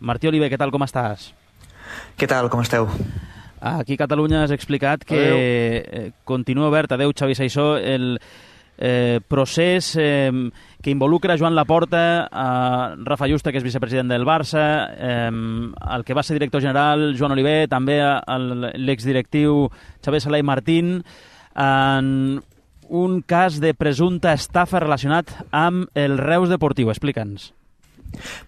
Martí Oliver, què tal, com estàs? Què tal, com esteu? Aquí a Catalunya has explicat que continua obert, adeu Xavi Saissó, el procés que involucra Joan Laporta, Rafa Yuste, que és vicepresident del Barça, el que va ser director general, Joan Oliver, també l'exdirectiu Xavier Sala i Martín, en un cas de presumpta estafa relacionat amb el Reus Deportiu. Explica'ns.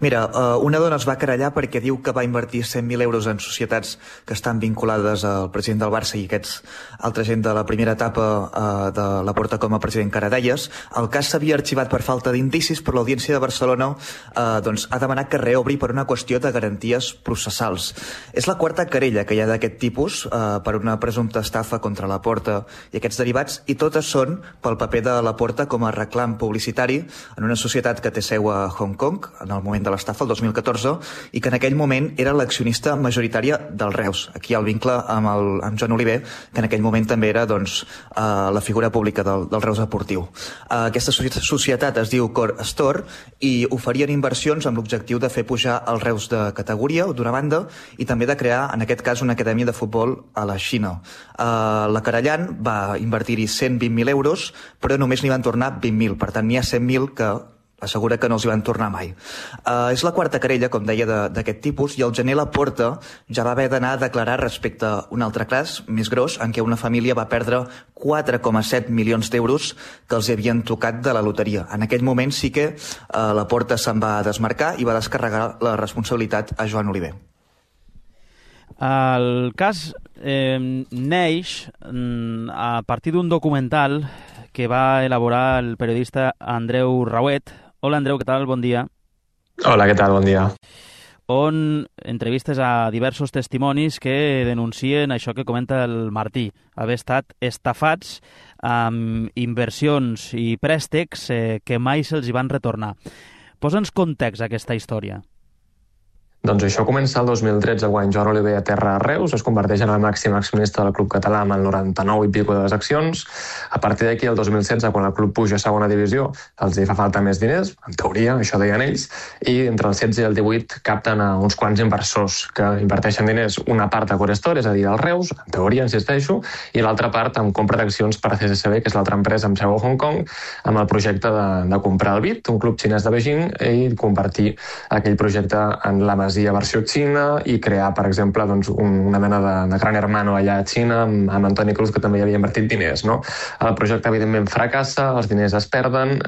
Mira, una dona es va querellar perquè diu que va invertir 100.000 euros en societats que estan vinculades al president del Barça i aquests altra gent de la primera etapa de Laporta com a president, que ara deies. El cas s'havia arxivat per falta d'indicis, però l'Audiència de Barcelona ha demanat que reobri per una qüestió de garanties processals. És la quarta querella que hi ha d'aquest tipus per una presumpta estafa contra Laporta i aquests derivats, i totes són pel paper de Laporta com a reclam publicitari en una societat que té seu a Hong Kong, en el moment de l'estafa, el 2014, i que en aquell moment era l'accionista majoritària del Reus. Aquí hi ha el vincle amb Joan Oliver, que en aquell moment també era la figura pública del Reus Deportiu. Aquesta societat es diu Core Store i oferien inversions amb l'objectiu de fer pujar el Reus de categoria, d'una banda, i també de crear, en aquest cas, una acadèmia de futbol a la Xina. La querellant va invertir-hi 120.000 euros, però només n'hi van tornar 20.000. Per tant, n'hi ha 100.000 que assegura que no els hi van tornar mai. És la quarta querella, com deia, d'aquest tipus, i al gener Laporta ja va haver d'anar a declarar respecte a un altre cas més gros, en què una família va perdre 4,7 milions d'euros que els havien tocat de la loteria. En aquell moment sí que Laporta se'n va desmarcar i va descarregar la responsabilitat a Joan Oliver. El cas neix a partir d'un documental que va elaborar el periodista Andreu Rauet. Hola, Andreu, què tal? Bon dia. Hola, què tal? Bon dia. On entrevistes a diversos testimonis que denuncien això que comenta el Martí, haver estat estafats amb inversions i préstecs que mai se'ls hi van retornar. Posa'ns context a aquesta història. Doncs això comença el 2013, quan Joan Oliver aterra a Reus, es converteix en el màxim accionista del club català amb el 99 i pico de les accions. A partir d'aquí, el 2016, quan el club puja a segona divisió, els hi fa falta més diners, en teoria, això deien ells, i entre el 16 i el 18 capten a uns quants inversors que inverteixen diners, una part a Core Store, és a dir, al Reus, en teoria, insisteixo, i l'altra part amb compra d'accions per a CSCB, que és l'altra empresa amb seu a Hong Kong, amb el projecte de comprar el BIT, un club xinès de Beijing, i convertir aquell projecte en la Masia versió Xina i crear, per exemple, una mena de gran hermano allà a Xina amb Antoni Cruz, que també hi havia invertit diners. No? El projecte, evidentment, fracassa, els diners es perden,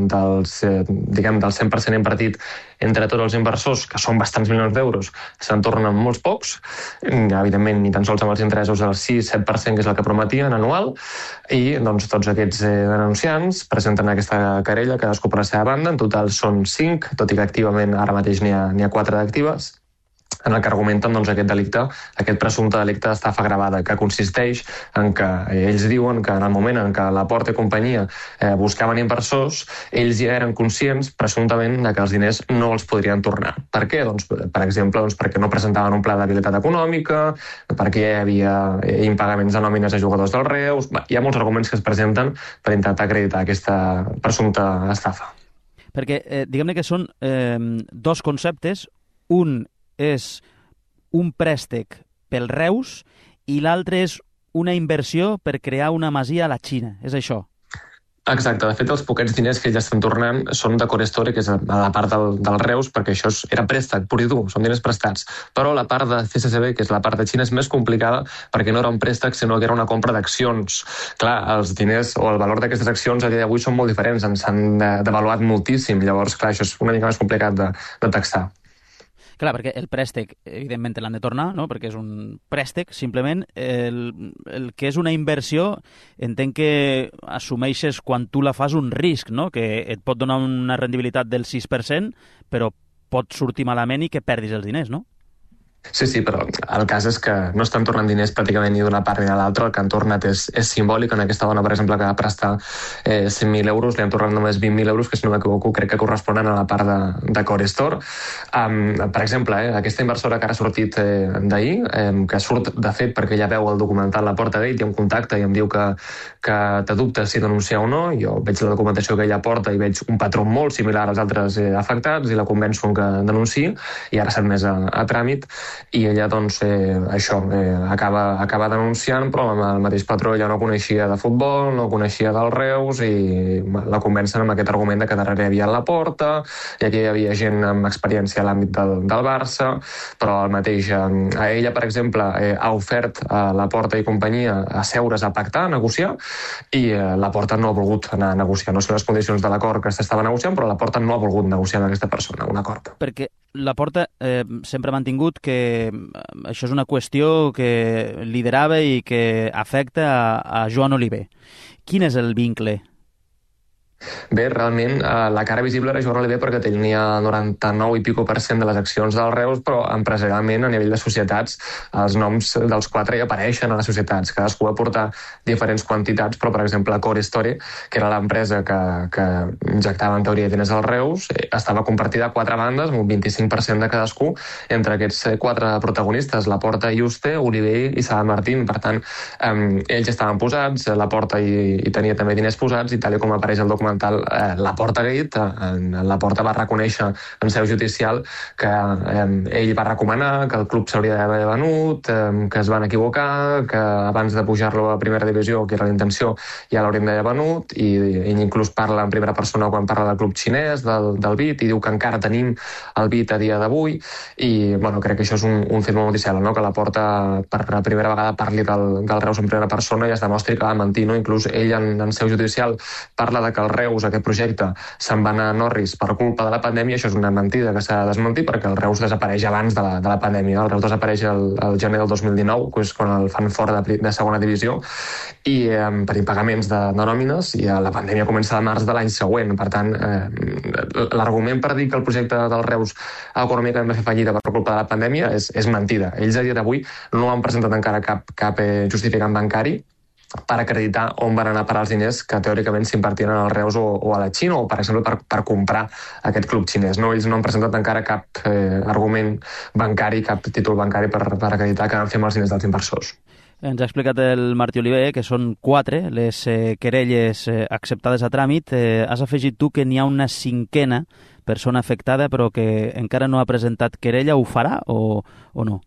del 100% invertit entre tots els inversors, que són bastants milions d'euros, se'n tornen molts pocs, evidentment ni tan sols amb els interessos del 6-7%, que és el que prometien anual, i tots aquests denunciants presenten aquesta querella, cadascú per la seva banda. En total són 5, tot i que activament ara mateix n'hi ha 4 d'actives, en el que argumenten aquest delicte, aquest presumpte delicte d'estafa gravada, que consisteix en que ells diuen que en el moment en què Laporta i companyia buscaven inversors, ells ja eren conscients, presumptament, que els diners no els podrien tornar. Per què? Per exemple, perquè no presentaven un pla d'habilitat econòmica, perquè hi havia impagaments de nòmines a jugadors del Reus. Hi ha molts arguments que es presenten per intentar acreditar aquesta presumpta estafa. Perquè, diguem-ne que són dos conceptes. Un és un préstec pel Reus i l'altre és una inversió per crear una masia a la Xina. És això? Exacte. De fet, els poquets diners que ja estan tornant són de Core Store, que és a la part del Reus, perquè això era préstec, pur i dur, són diners prestats. Però la part de CSCB, que és la part de Xina, és més complicada perquè no era un préstec, sinó que era una compra d'accions. Clar, els diners o el valor d'aquestes accions a dia d'avui són molt diferents, ens han devaluat moltíssim. Llavors, clar, això és una mica més complicat de taxar. Clar, perquè el préstec, evidentment, l'han de tornar, no? Perquè és un préstec, simplement. El que és una inversió, entenc que assumeixes quan tu la fas un risc, no? Que et pot donar una rendibilitat del 6%, però pot sortir malament i que perdis els diners, no? Sí, però el cas és que no estan tornant diners pràcticament ni d'una part ni de l'altra, el que han tornat és simbòlic. En aquesta dona, per exemple, que va prestar 100.000 euros, li han tornat només 20.000 euros, que si no m'equivoco crec que corresponen a la part de Core Store. Per exemple, aquesta inversora que ara ha sortit d'ahir, que surt de fet perquè ja veu el documental La Porta Gate i em contacta i em diu que té dubtes si denunciar o no. Jo veig la documentació que ella porta i veig un patró molt similar als altres afectats i la convenço que denunciï, i ara s'ha admès a tràmit. I ella, doncs, acaba denunciant, però amb el mateix patró ella no coneixia de futbol, no coneixia del Reus, i la convencen amb aquest argument de que darrere hi havia la Porta, i aquí hi havia gent amb experiència a l'àmbit del Barça, però el mateix, a ella, per exemple, ha ofert a la Porta i companyia a seure's a pactar, a negociar, i la Porta no ha volgut anar a negociar. No sé les condicions de l'acord que s'estava negociant, però la Porta no ha volgut negociar amb aquesta persona un acord. Perquè la Porta sempre ha mantingut que això és una qüestió que liderava i que afecta a Joan Oliver. Quin és el vincle? Bé, realment, la cara visible era Joan Oliver perquè tenia 99 i pico % de les accions del Reus, però empresarialment, a nivell de societats, els noms dels 4 hi apareixen a les societats. Cadascú va portar diferents quantitats, però, per exemple, Core Story, que era l'empresa que injectava en teoria diners al Reus, estava compartida a 4 bandes, amb un 25% de cadascú, entre aquests 4 protagonistes, La Porta, Juste, Oliver i Sala Martín. Per tant, ells estaven posats, La Porta hi tenia també diners posats, i tal com apareix el documental La Porta Gate, la Porta va reconèixer en seu judicial que ell va recomanar que el club s'hauria d'haver venut, que es van equivocar, que abans de pujar-lo a primera divisió, que era la intenció, ja l'haurien d'haver venut, i ell inclús parla en primera persona quan parla del club xinès, del BIT, i diu que encara tenim el BIT a dia d'avui, i bueno, crec que això és un fet molt noticiable, no? Que la Porta per la primera vegada parli del Reus en primera persona i es demostri que va mentir, no? Inclús ell en seu judicial parla de que el Reus, aquest projecte, se'n va anar a Norris per culpa de la pandèmia. Això és una mentida que s'ha de desmentir, perquè el Reus desapareix abans de la pandèmia. El Reus desapareix el gener del 2019, que és quan el fan fora de segona divisió, i per impagaments de nòmines, i la pandèmia comença a març de l'any següent. Per tant, l'argument per dir que el projecte del Reus econòmicament va fer fallida per culpa de la pandèmia és mentida. Ells a dia d'avui no han presentat encara cap justificant bancari per acreditar on van anar a parar els diners que teòricament s'invertien al Reus o a la Xina, o, per exemple, per comprar aquest club xinès. No, ells no han presentat encara cap argument bancari, cap títol bancari per acreditar que van fer amb els diners dels inversors. Ens ha explicat el Martí Oliver que són 4 les querelles acceptades a tràmit. Has afegit tu que n'hi ha una 5a persona afectada però que encara no ha presentat querella. Ho farà o no?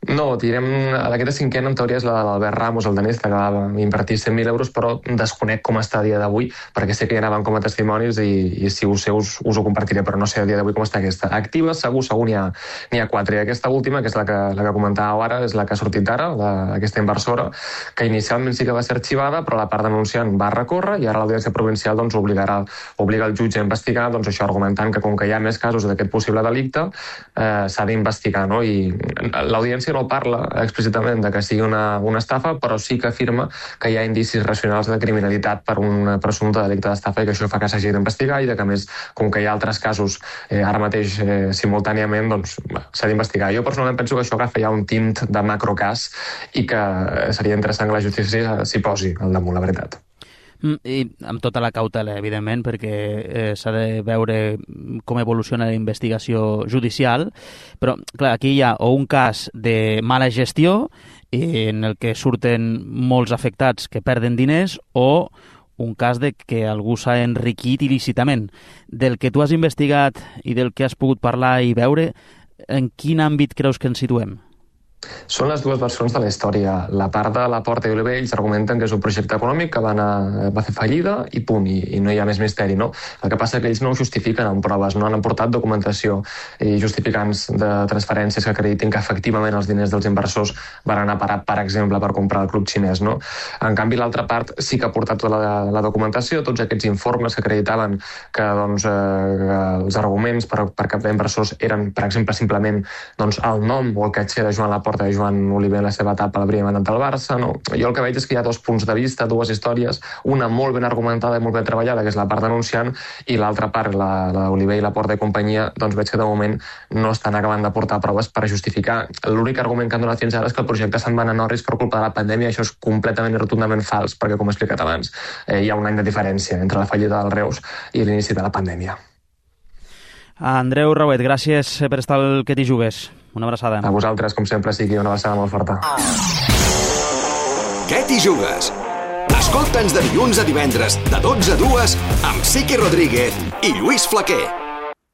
No, direm, aquesta 5a en teoria és la de l'Albert Ramos, el danès, que va invertir 100.000 euros, però desconec com està a dia d'avui, perquè sé que hi anaven com a testimonis i si ho sé us ho compartiré, però no sé a dia d'avui com està aquesta. Activa, segur n'hi ha 4. I aquesta última, que és la que comentàveu ara, és la que ha sortit ara, aquesta inversora, que inicialment sí que va ser arxivada, però la part denunciant va recórrer, i ara l'Audiència Provincial doncs, obliga el jutge a investigar, doncs això, argumentant que com que hi ha més casos d'aquest possible delicte, s'ha d'investigar, no? I l'Audiència no parla explícitament de que sigui una estafa, però sí que afirma que hi ha indicis racionals de criminalitat per un presumpte delicte d'estafa, i que això fa que s'hagi d'investigar, i que, a més, com que hi ha altres casos ara mateix simultàniament, doncs s'ha d'investigar. Jo personalment penso que això agafa ja un tint de macrocàs i que seria interessant que la justícia s'hi posi al damunt, la veritat. I amb tota la cautela, evidentment, perquè s'ha de veure com evoluciona la investigació judicial, però clar, aquí hi ha o un cas de mala gestió en el que surten molts afectats que perden diners, o un cas de que algú s'ha enriquit il·lícitament. Del que tu has investigat i del que has pogut parlar i veure, en quin àmbit creus que ens situem? Són les dues versions de la història. La part de La Porta i Oliver, ells argumenten que és un projecte econòmic que va fer fallida i punt, i no hi ha més misteri, no? El que passa és que ells no ho justifiquen amb proves, no han aportat documentació i justificants de transferències que acreditin que efectivament els diners dels inversors van anar a parar, per exemple, per comprar el club xinès, no? En canvi, l'altra part sí que ha aportat tota la documentació, tots aquests informes que acreditaven que els arguments per captar inversors eren, per exemple, simplement el nom o el caixer de Joan Laporta porta Joan Oliver en la seva etapa a la primera mandat del Barça, no? Jo el que veig és que hi ha dos punts de vista, dues històries, una molt ben argumentada i molt ben treballada, que és la part denunciant, i l'altra part, la d'Oliver i Laporta i companyia, doncs veig que de moment no estan acabant de portar proves per justificar. L'únic argument que han donat fins ara és que el projecte se'n va anar a Norris per culpa de la pandèmia. Això és completament i rotundament fals, perquè, com he explicat abans, hi ha un any de diferència entre la fallida del Reus i l'inici de la pandèmia. Andreu Rauet, gràcies per estar al Que t'hi jugues. Una abraçada. A vosaltres, com sempre, sigui una abraçada molt forta. Què t'hi jugues? Escolta'ns de dilluns a divendres, de 12 a 2, amb Siqui Rodríguez i Lluís Flaquer.